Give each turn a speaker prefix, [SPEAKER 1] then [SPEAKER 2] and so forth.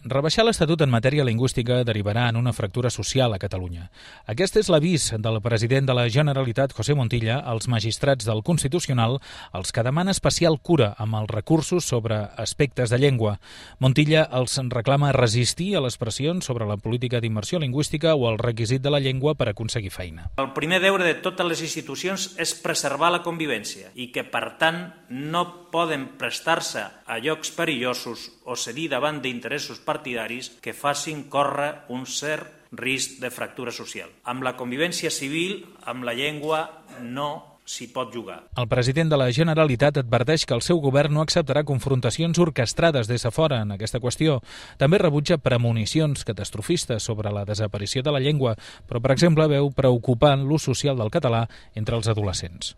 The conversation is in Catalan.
[SPEAKER 1] rebaixar l'Estatut en matèria lingüística derivarà en una fractura social a Catalunya. Aquest és l'avís del president de la Generalitat, José Montilla, als magistrats del Constitucional, als que demana especial cura amb els recursos sobre aspectes de llengua. Montilla els reclama resistir a les pressions sobre la política d'immersió lingüística o el requisit de la llengua per aconseguir feina.
[SPEAKER 2] El primer deure de totes les institucions és preservar la convivència i que, per tant, no poden prestar-se a llocs perillosos o cedir davant d'interessos partidaris que facin córrer un cert risc de fractura social. Amb la convivència civil, amb la llengua, no s'hi pot jugar.
[SPEAKER 1] El president de la Generalitat adverteix que el seu govern no acceptarà confrontacions orquestrades des de fora en aquesta qüestió. També rebutja premonicions catastrofistes sobre la desaparició de la llengua, però, per exemple, veu preocupant l'ús social del català entre els adolescents.